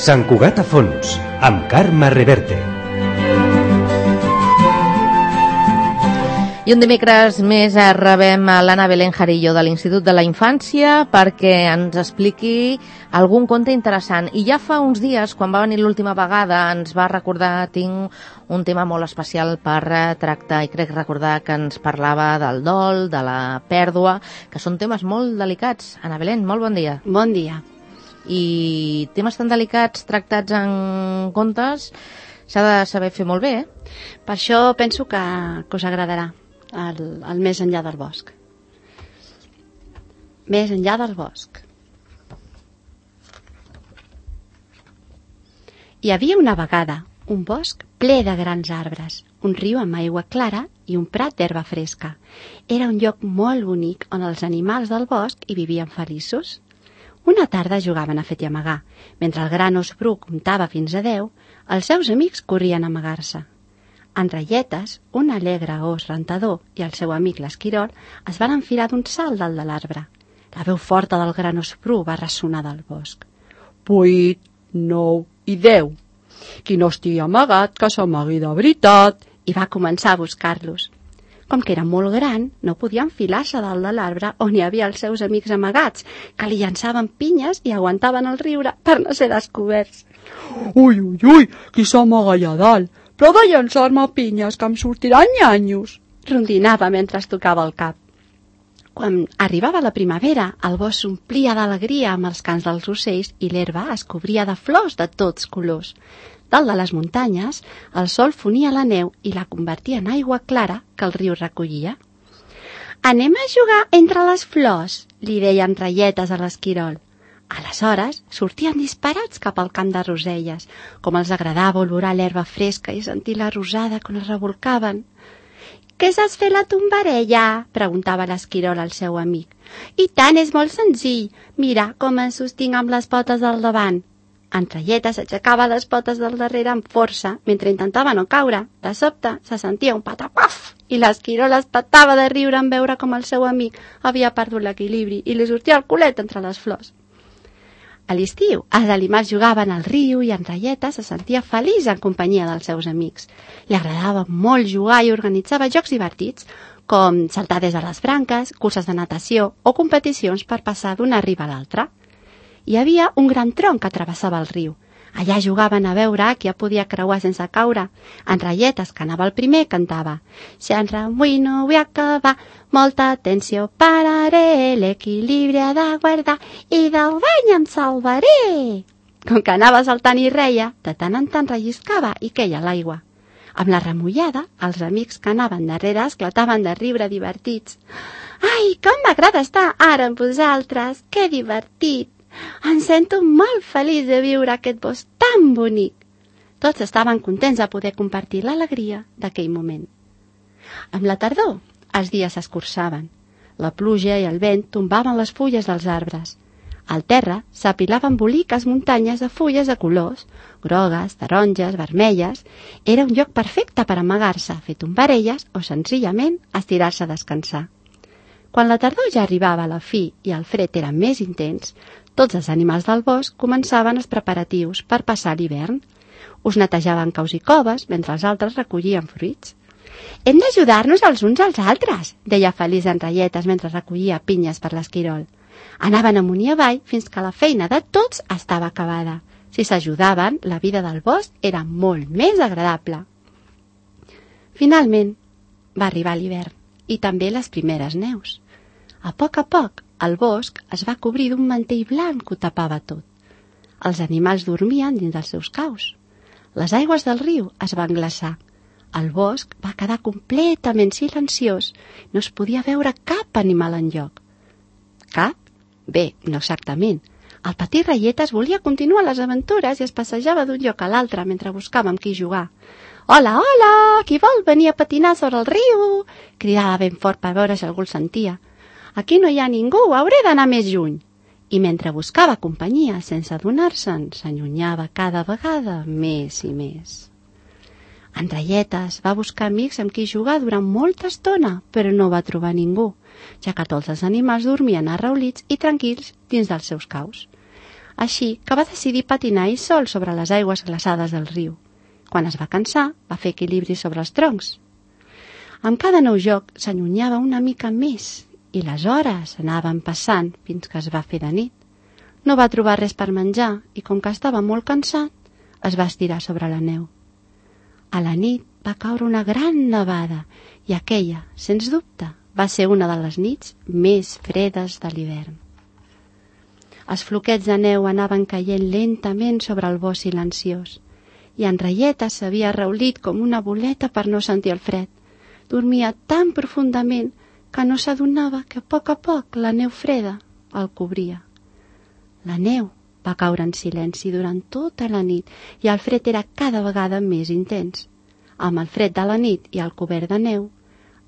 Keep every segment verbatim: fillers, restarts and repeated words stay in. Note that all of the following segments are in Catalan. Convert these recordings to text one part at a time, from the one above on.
Sant Cugat a fons, amb Carme Reverte. I un dimecres més rebem a l'Anna Belén Jarillo de l'Institut de la Infància perquè ens expliqui algun conte interessant. I ja fa uns dies, quan va venir l'última vegada, ens va recordar, tinc un tema molt especial per tractar, i crec recordar que ens parlava del dol, de la pèrdua, que són temes molt delicats. Anna Belén, molt bon dia. Bon dia. I temes tan delicats tractats en contes s'ha de saber fer molt bé, eh? Per això penso que, que us agradarà. El, el Més enllà del bosc. Més enllà del bosc. Hi havia una vegada un bosc ple de grans arbres, un riu amb aigua clara i un prat d'herba fresca. Era un lloc molt bonic on els animals del bosc hi vivien feliços. Una tarda jugaven a fet i amagar. Mentre el gran os bru comptava fins a deu, els seus amics corrien a amagar-se. En ratlletes, un alegre os rentador i el seu amic l'esquirol es van enfilar d'un salt dalt de l'arbre. La veu forta del gran os bru va ressonar del bosc. Vuit, nou i deu. Qui no estigui amagat, que s'amagui de veritat. I va començar a buscar-los. Com que era molt gran, no podia enfilar-se dalt de l'arbre on hi havia els seus amics amagats, que li llançaven pinyes i aguantaven el riure per no ser descoberts. Ui, ui, ui, qui s'amaga allà dalt? Però de llançar-me pinyes, que em sortiran nyanyos. Rondinava mentre es tocava el cap. Quan arribava la primavera, el bosc s'omplia d'alegria amb els cants dels ocells i l'herba es cobria de flors de tots colors. Dalt de les muntanyes, el sol fonia la neu i la convertia en aigua clara que el riu recollia. «Anem a jugar entre les flors», li deien ratlletes a l'esquirol. Aleshores, sortien disparats cap al camp de roselles, com els agradava olorar l'herba fresca i sentir la rosada quan es revolcaven. «Què saps fer la tombarella?», preguntava l'esquirol al seu amic. «I tant, és molt senzill. Mira com em sostinc amb les potes del davant». En ratlletes s'aixecava les potes del darrere amb força, mentre intentava no caure. De sobte, se sentia un patacuaf, i l'esquirol es petava de riure en veure com el seu amic havia perdut l'equilibri i li sortia el culet entre les flors. A l'estiu, els animals jugaven al riu i en ratlletes se sentia feliç en companyia dels seus amics. Li agradava molt jugar i organitzava jocs divertits, com saltar des de les branques, curses de natació o competicions per passar d'una riba a l'altra. Hi havia un gran tronc que travessava el riu. Allà jugaven a veure qui ja podia creuar sense caure. En ratlletes, que anava el primer, cantava «Si en remuïno vull acabar, molta atenció pararé, l'equilibri ha de guardar i del bany em salvaré». Com que anava saltant i reia, de tant en tant relliscava i queia a l'aigua. Amb la remullada, els amics que anaven darrere esclataven de riure divertits. «Ai, com m'agrada estar ara amb vosaltres! Que divertit! Em sento molt feliç de viure aquest bosc tan bonic». Tots estaven contents de poder compartir l'alegria d'aquell moment. Amb la tardor, els dies s'escurçaven. La pluja i el vent tombaven les fulles dels arbres. Al terra s'apilaven boliques muntanyes de fulles de colors, grogues, taronges, vermelles. Era un lloc perfecte per amagar-se, fer tombarelles o senzillament estirar-se a descansar. Quan la tardor ja arribava a la fi i el fred era més intens, tots els animals del bosc començaven els preparatius per passar l'hivern. Us netejaven caus i coves mentre els altres recollien fruits. «Hem d'ajudar-nos els uns als altres», deia feliç en ratlletes mentre recollia pinyes per l'esquirol. Anaven amunt i avall fins que la feina de tots estava acabada. Si s'ajudaven, la vida del bosc era molt més agradable. Finalment, va arribar l'hivern i també les primeres neus. A poc a poc, el bosc es va cobrir d'un mantell blanc que ho tapava tot. Els animals dormien dins dels seus caus. Les aigües del riu es van glaçar. El bosc va quedar completament silenciós. No es podia veure cap animal enlloc. Cap? Bé, no exactament. El petit ratlletes volia continuar les aventures i es passejava d'un lloc a l'altre mentre buscava amb qui jugar. «Hola, hola! Qui vol venir a patinar sobre el riu?» cridava ben fort per veure si algú el sentia. «Aquí no hi ha ningú, hauré d'anar més lluny». I mentre buscava companyia sense adonar-se'n, s'allunyava cada vegada més i més. En ratlletes va buscar amics amb qui jugar durant molta estona, però no va trobar ningú, ja que tots els animals dormien arraulits i tranquils dins dels seus caus. així que va decidir patinar ell sol sobre les aigües glaçades del riu. Quan es va cansar, va fer equilibri sobre els troncs. Amb cada nou joc s'allunyava una mica més i les hores anaven passant fins que es va fer de nit. No va trobar res per menjar i, com que estava molt cansat, es va estirar sobre la neu. A la nit va caure una gran nevada i aquella, sens dubte, va ser una de les nits més fredes de l'hivern. Els floquets de neu anaven caient lentament sobre el bosc silenciós i en Raieta s'havia reulit com una boleta per no sentir el fred. Dormia tan profundament que no s'adonava que a poc a poc la neu freda el cobria. La neu va caure en silenci durant tota la nit i el fred era cada vegada més intens. Amb el fred de la nit i el cobert de neu,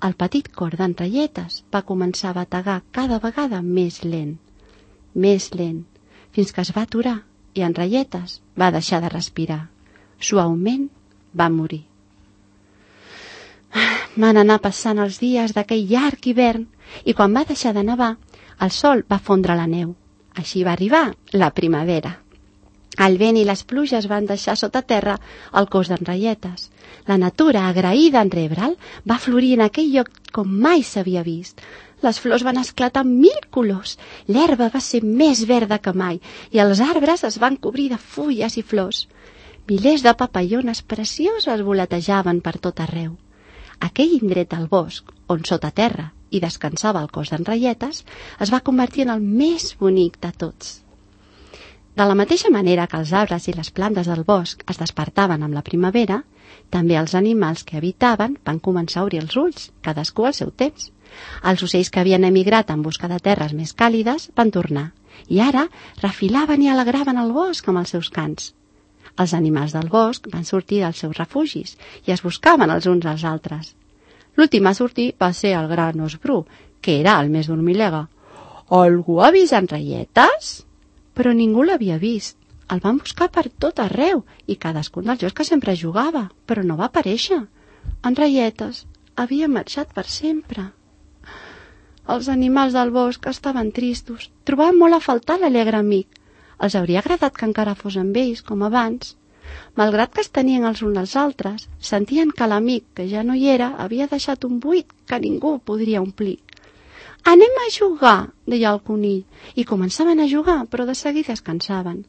el petit cor d'en Raietes va començar a bategar cada vegada més lent, més lent, fins que es va aturar i en Raietes va deixar de respirar. Suaument va morir. Van anar passant els dies d'aquell llarg hivern i quan va deixar de nevar, el sol va fondre la neu. Així va arribar la primavera. El vent i les pluges van deixar sota terra el cos d'en Raietes. La natura, agraïda en rebre'l, va florir en aquell lloc com mai s'havia vist. Les flors van esclatar amb mil colors, l'herba va ser més verda que mai i els arbres es van cobrir de fulles i flors. Milers de papallones precioses voletejaven per tot arreu. Aquell indret al bosc, on sota terra i descansava el cos d'en Raietes, es va convertir en el més bonic de tots. De la mateixa manera que els arbres i les plantes del bosc es despertaven amb la primavera, també els animals que habitaven van començar a obrir els ulls, cadascú al seu temps. Els ocells que havien emigrat en busca de terres més càlides van tornar, i ara refilaven i alegraven el bosc amb els seus cants. Els animals del bosc van sortir dels seus refugis i es buscaven els uns als altres. L'últim a sortir va ser el gran os bru, que era el més dormilega. «Algú ha vist en Raietes?» Però ningú l'havia vist. El van buscar per tot arreu i cadascun dels jocs que sempre jugava, però no va aparèixer. En Raietes havia marxat per sempre. Els animals del bosc estaven tristos, trobaven molt a faltar l'alegre amic. Els hauria agradat que encara fos amb ells, com abans. Malgrat que es tenien els uns als altres, sentien que l'amic, que ja no hi era, havia deixat un buit que ningú podria omplir. «Anem a jugar», deia el conill, i començaven a jugar, però de seguida es cansaven.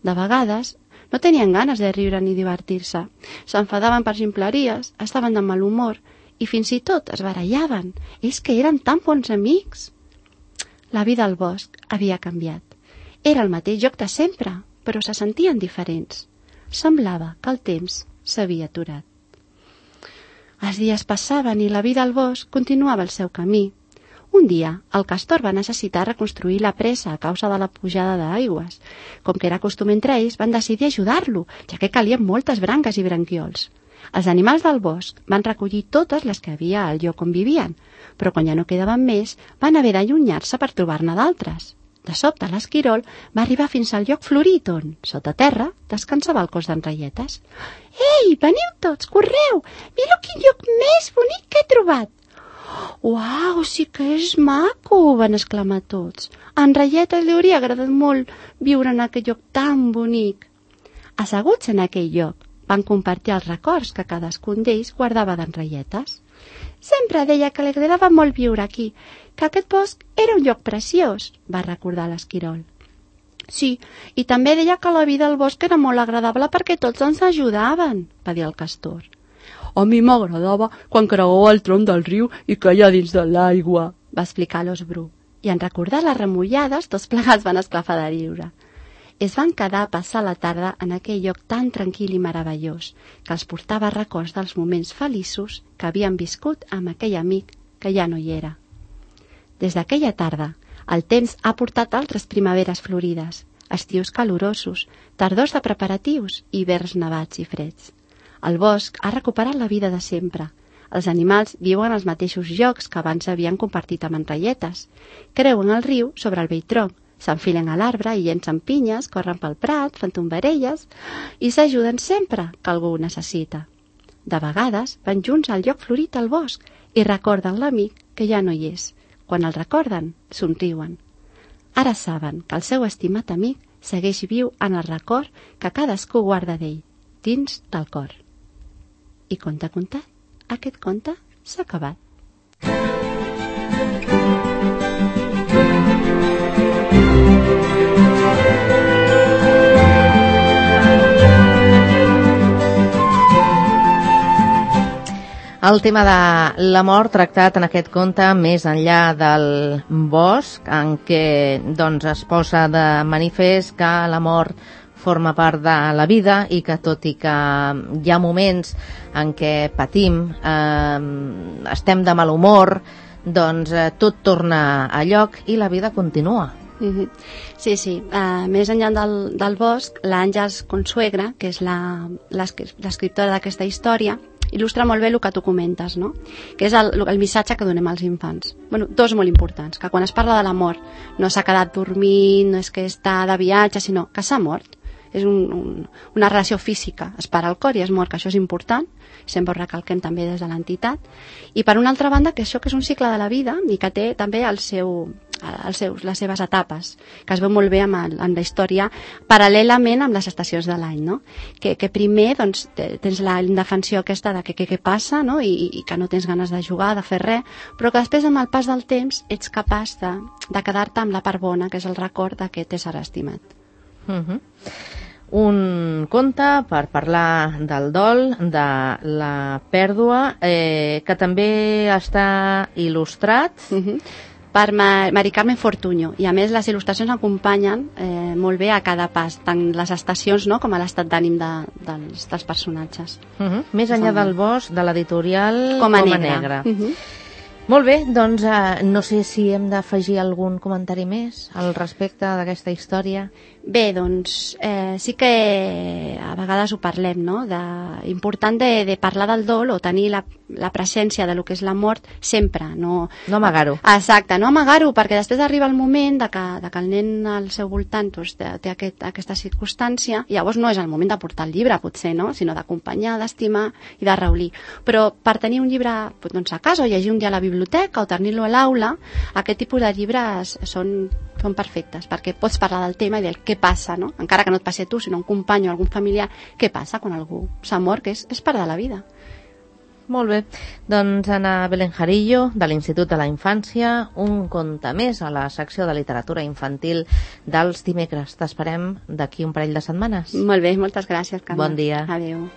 De vegades no tenien ganes de riure ni divertir-se, s'enfadaven per ximpleries, estaven de mal humor i fins i tot es barallaven. És que eren tan bons amics. La vida al bosc havia canviat. Era el mateix joc de sempre, però se sentien diferents. Semblava que el temps s'havia aturat. Els dies passaven i la vida al bosc continuava el seu camí. Un dia, el castor va necessitar reconstruir la presa a causa de la pujada d'aigües. Com que era costum entre ells, van decidir ajudar-lo, ja que calien moltes branques i branquiols. Els animals del bosc van recollir totes les que havia al lloc on vivien, però quan ja no quedaven més, van haver d'allunyar-se per trobar-ne d'altres. De sobte, l'esquirol va arribar fins al lloc florit on, sota terra, descansava el cos d'en Raietes. «Ei, veniu tots, correu! Mireu quin lloc més bonic que he trobat!» «Uau, sí que és maco!» van exclamar tots. A en Raietes li hauria agradat molt viure en aquell lloc tan bonic. Asseguts en aquell lloc, van compartir els records que cadascun d'ells guardava d'en Raietes. «Sempre deia que li agradava molt viure aquí, que aquest bosc era un lloc preciós», va recordar l'esquirol. «Sí, i també deia que la vida al bosc era molt agradable perquè tots ens ajudaven», va dir el castor. «A mi m'agradava quan creuava el tronc del riu i queia dins de l'aigua», va explicar l'os bru. I en recordar les remullades, tots plegats van esclafar de riure. Es van quedar a passar la tarda en aquell lloc tan tranquil i meravellós que els portava records dels moments feliços que havien viscut amb aquell amic que ja no hi era. Des d'aquella tarda, el temps ha portat altres primaveres florides, estius calorosos, tardors de preparatius i hiverns nevats i freds. El bosc ha recuperat la vida de sempre. Els animals viuen als mateixos llocs que abans havien compartit amb en Raietes. Creuen el riu sobre el vell tronc, s'enfilen a l'arbre i llencen pinyes, corren pel prat, fan tombarelles i s'ajuden sempre que algú ho necessita. De vegades van junts al lloc florit al bosc i recorden l'amic que ja no hi és. Quan el recorden, somriuen. Ara saben que el seu estimat amic segueix viu en el record que cadascú guarda d'ell, dins del cor. I conte contat, aquest conte s'ha acabat. El tema de la mort tractat en aquest conte més enllà del bosc, en què doncs, es posa de manifest que la mort forma part de la vida i que tot i que hi ha moments en què patim, eh, estem de mal humor, doncs eh, tot torna a lloc i la vida continua. Mm-hmm. Sí, sí. Uh, més enllà del, del bosc, l'Àngels Consuegra, que és la, l'escriptora d'aquesta història, il·lustra molt bé el que tu comentes, no? Que és el, el missatge que donem als infants. Bueno, dos molt importants, que quan es parla de la mort no s'ha quedat dormint, no és que està de viatge, sinó que s'ha mort. És un, un, una relació física, es para el cor i es mor, que això és important, sempre ho recalquem també des de l'entitat. I per una altra banda, que això que és un cicle de la vida i que té també el seu, els seus, les seves etapes, que es veu molt bé amb, el, amb la història paral·lelament amb les estacions de l'any, no? Que, que primer doncs, tens la indefensió aquesta de que què passa, no? I, i que no tens ganes de jugar, de fer res, però que després amb el pas del temps ets capaç de, de quedar-te amb la part bona, que és el record d'aquest ésser estimat. Uh-huh. Un conte per parlar del dol, de la pèrdua, eh, que també està il·lustrat uh-huh. per Mari Carmen Fortuño, i a més les il·lustracions acompanyen eh, molt bé a cada pas, tant les estacions, no?, com a l'estat d'ànim de, dels, dels personatges. Uh-huh. Més enllà del bosc, de l'editorial Coma Coma Negra. Negra. Uh-huh. Molt bé, doncs eh, no sé si hem d'afegir algun comentari més al respecte d'aquesta història. Bé, doncs eh, sí que a vegades ho parlem, no? De, important de, de parlar del dol o tenir la, la presència de lo que és la mort sempre. No, no amagar-ho. Exacte, no amagar-ho, perquè després arriba el moment de que, de que el nen al seu voltant doncs, té, té aquest, aquesta circumstància, i llavors no és el moment de portar el llibre, potser, no? Sinó d'acompanyar, d'estimar i de reulir. Però per tenir un llibre doncs, a casa o llegir un dia a la biblioteca o tenir-lo a l'aula, aquest tipus de llibres són, són perfectes, perquè pots parlar del tema i del què passa, no? Encara que no et passi a tu, sinó a un company o algun familiar, què passa quan algú s'ha mort, que és, és part de la vida. Molt bé, doncs Ana Belén Jarillo, de l'Institut de la Infància, un conte més a la secció de literatura infantil dels dimecres. T'esperem d'aquí un parell de setmanes. Molt bé, moltes gràcies, Carme. Bon dia. Adéu.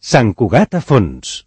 Sant Cugat a fons.